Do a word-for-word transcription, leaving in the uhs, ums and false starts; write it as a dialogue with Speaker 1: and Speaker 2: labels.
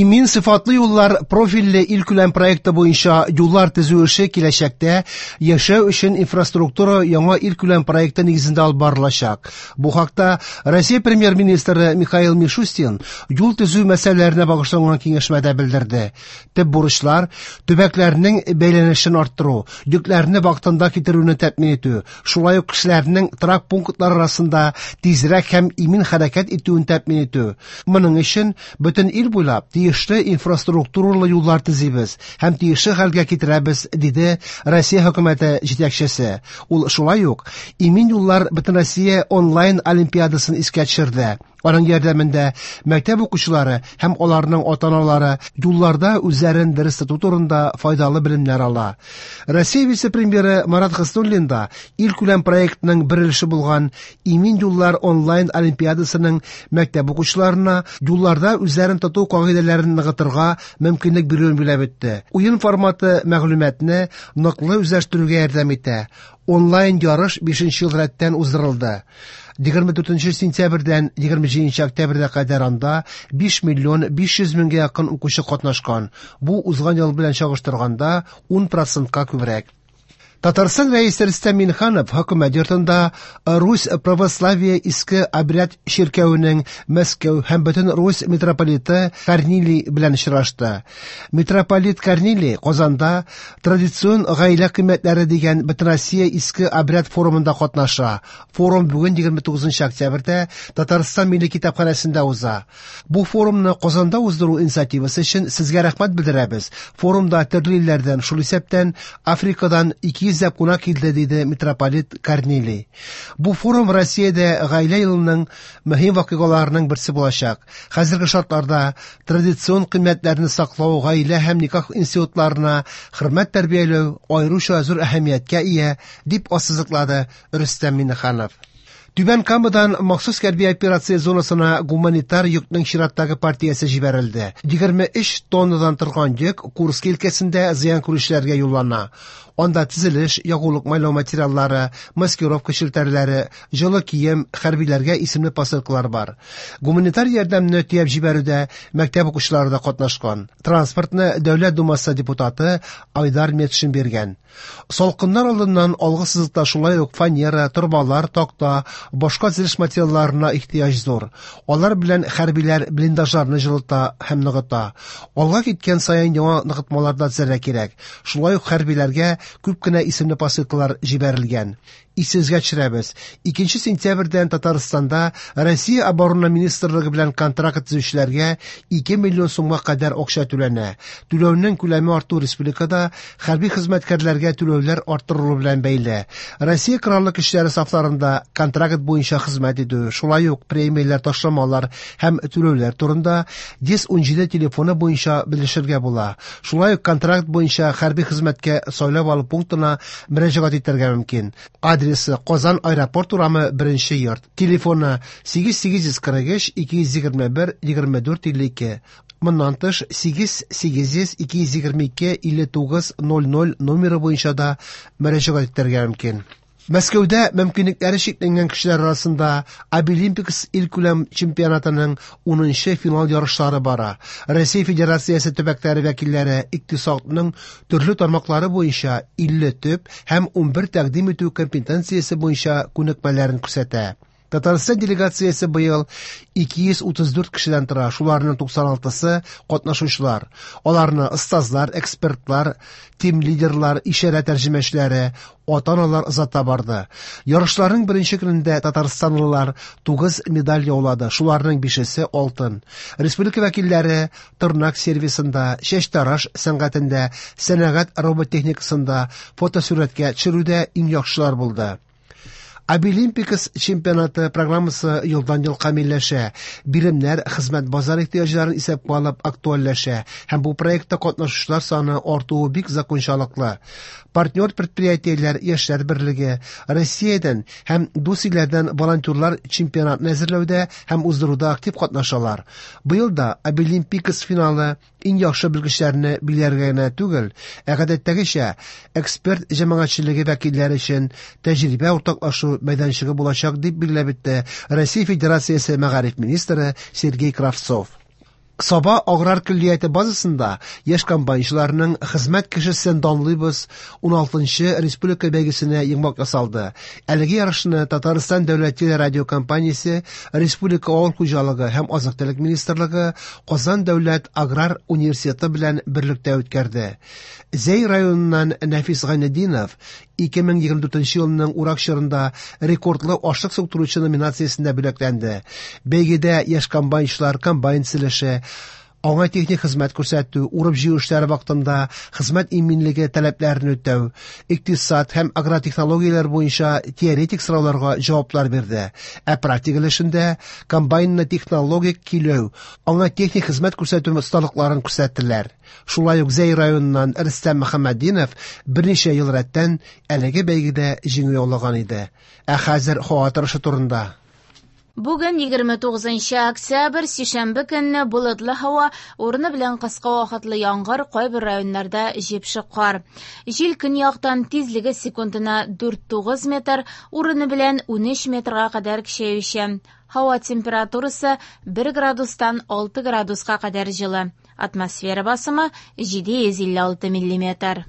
Speaker 1: Имин сыйфатлы юллар профильле илкүләм проекты буенча юллар төзү эше киләчәктә яшәү өчен инфраструктура яңа илкүләм проекты нигезендә алып барылачак. Бу хакта Россия премьер-министры Михаил Мишустин юл төзү мәсьәләләренә багышланган киңәшмәдә белдерде. Төп бурычлар төбәкләрнең бәйләнешен арттыру, йөкләрне вакытында китерүне тәэмин итү, шулай ук кешеләрнең торак пунктлар арасында тизрәк һәм имин хәрәкәт итүен тәэмин итү. Моның өчен бөтен ил буйлап тиешле инфраструктуралы юллар төзибез һәм тиешле хәлгә китерәбез, диде Россия хөкүмәте җитәкчесе. Ул шулай ук Имин юллар Бөтенроссия онлайн олимпиадасын искә төшерде. Аның ярдәмендә мәктәп укучылары һәм аларның ата-аналары юлларда үзләрен дөрес тоту турында файдалы белемнәр ала. Россия вице-премьеры Марат Хуснуллин да илкүләм проектның бер өлеше булган Имин юллар онлайн олимпиадасының мәктәп укучыларына юлларда үзләрен тоту кагыйдәләрен ныгытырга мөмкинлек бирүен билгеләп үтте. Уен форматы мәгълүматны ныклы үзләштерүгә ярдәм итә. Онлайн ярыш бишенче ел рәттән уздырылды. егерме дүртенче сентябрьдән егерме җиденче октябрьгә кадәр анда биш миллион биш йөз меңгә якын укучы катнашкан. Бу узган ел белән чагыштырганда ун процентка күбрәк. Татарстан рәисе Рөстәм Миңнеханов хөкүмәт йортында Русь православие иске обряд чиркәвенең Мәскәү һәм бөтен Русь митрополиты Корнилий белән очрашты. Митрополит Корнилий Казанда традицион гаилә кыйммәтләре дигән Бөтенроссия иске обряд форумында катнаша. Форум бүген егерме тугызынчы октябрьдә Татарстан Милли китапханәсендә уза. Бу форумны Казанда уздыру инициативасы өчен сезгә рәхмәт белдерәбез. Форумда төрле илләрдән, шул исәптән Африкадан ике йөз кунак килде, диде митрополит Корнилий. Бу форум Россиядә гаилә елының мөһим вакыйгаларының берсе булачак. Хәзерге шартларда традицион кыйммәтләрне саклау, гаилә һәм никах институтларына хөрмәт тәрбияләү аеруча зур әһәмияткә ия, дип ассызыклады Рөстәм Миңнеханов. Түбән Камадан махсус хәрби операция зонасына гуманитар йөкнең чираттагы партиясе җибәрелде. Егерме өч тоннадан торган йөк Курск өлкәсендә зыян күрүчеләргә юллана. Анда төзелеш, ягулык майлау материаллары, маскировка челтәрләре, җылы кием, хәрбиләргә исемле посылкалар бар. Гуманитар ярдәмне төяп җибәрүдә мәктәп укучылары да катнашкан. Транспортны Дәүләт Думасы депутаты Айдар Метшин биргән. Салкыннар алдыннан алгы сызыкта шулай ук фанера, торбалар, такта, башка төзелеш материалларына ихтыяҗ зур. Алар белән хәрбиләр блиндажларны җылыта һәм ныгыта. Алга киткән саен яңа ныгытмалар да төзергә кирәк. Шулай ук хәрбиләргә күп кенә исемле посылкалар җибәрелгән. Исегезгә төшерәбез. Икенче сентябрьдән Татарстанда Россия Оборона Министрлыгы белән контракт төзүчеләргә ике миллион сумга кадәр акча түләнә. Түләүнең күләме арту республикада хәрби хезмәткәрләргә түләүләр арттырылу белән бәйле. Россия Кораллы Көчләре сафларында контракт буенча хезмәт итү, шулай ук премияләр, ташламалар һәм түләүләр турында йөз ун җиде телефоны буенча белешергә була. Шулай ук контракт буенча хәрби хезмәткә сайлап алу пунктына мөрәҗәгать итәргә мөмкин. Адресы Казан аэропорт урамы беренче йорт. Телефоны сигез сигез йөз кырык өч ике йөз егерме бер егерме дүрт илле ике. Моннан тыш сигез сигез йөз ике йөз егерме ике илле тугыз ноль ноль номеры буенча да мөрәҗәгать итәргә мөмкин. Мәскәүдә мөмкинлекләре чикләнгән кешеләр арасында Абилимпикс илкүләм чемпионатының унынчы финал ярышлары бара. Россия Федерациясе төбәкләре вәкилләре икътисадның төрле тармаклары буенча илле төп һәм унбер тәкъдим итү компетенциясе буенча күнекмәләрен күрсәтә. Татарстан делегациясе быел ике йөз утыз дүрт кешедән тора, шуларның туксан алтысы катнашучылар. Аларны остазлар, экспертлар, тим-лидерлар, ишарә тәрҗемәчеләре, ата-аналар озата барды. Ярышларның беренче көнендә татарстанлылар тугыз медаль яулады, шуларның бишесе алтын. Республика вәкилләре тырнак сервисында, чәчтараш сәнгатендә, сәнәгать роботехникасында, фотосурәткә төшерүдә иң яхшылар булды. Абилимпикс чемпионаты программасы елдан-ел камилләшә. Биремнәр хезмәт базар ихтыяҗларын исәпкә алып актуальләшә һәм бу проектта катнашучылар саны артуы бик закончалыклы. Партнер предприятиеләр, яшьләр берлеге, Россиядән һәм дус илләрдән волонтерлар чемпионатны әзерләүдә һәм уздыруда актив катнашалар. Быел да Абилимпикс финалы иң яхшы белгечләрне билгеләргә генә түгел, ә гадәттәгечә эксперт җәмәгатьчелеге вәкилләре өчен тәҗрибә уртаклашу мәйданчыгы булачак, дип билгеләп үтте Россия Федерациясе мәгариф министры Сергей Кравцов. Саба аграр көллияте базасында яшь комбайнчыларның «Хезмәт кешесен данлыйбыз» уналтынчы республика бәйгесенә йомгак ясалды. Әлеге ярышны Татарстан дәүләт телерадиокомпаниясе, Республика авыл хуҗалыгы һәм азык-төлек министрлыгы Казан дәүләт аграр университеты белән берлектә үткәрде. Зәй районыннан Нәфис Гайнетдинов ике мең егерме дүртенче елның урак чорында рекордлы ашлык суктыручы номинациясендә бүләкләнде. Бәйгедә яшь комбайнчылар комбайн төзелеше, аңа техник хезмәт күрсәтү, урып-җыю эшләре вакытында хезмәт иминлеге таләпләрен үтәү, икътисад һәм агротехнологияләр буенча теоретик сорауларга җаваплар бирде. Ә практик өлешендә комбайнны технологик көйләү, аңа техник хезмәт күрсәтү осталыкларын күрсәттеләр. Шулай ук Зәй районыннан Рөстәм Мөхәммәтдинов берничә ел рәттән әлеге бәйгедә җиңү яулаган иде. Ә хәзер һава торышы турында.
Speaker 2: Бүген егерме тугызынчы октябрь, сишәмбе көнне болытлы һава, урыны белән кыска вакытлы яңгыр, кайбер районнарда җепшек кар. Җил көньяктан тизлеге секундына дүрт тугыз метр, урыны белән унөч метрга кадәр көчәюче. Һава температурасы бер градустан алты градуска кадәр җылы. Атмосфера басымы җиде йөз илле алты миллиметр.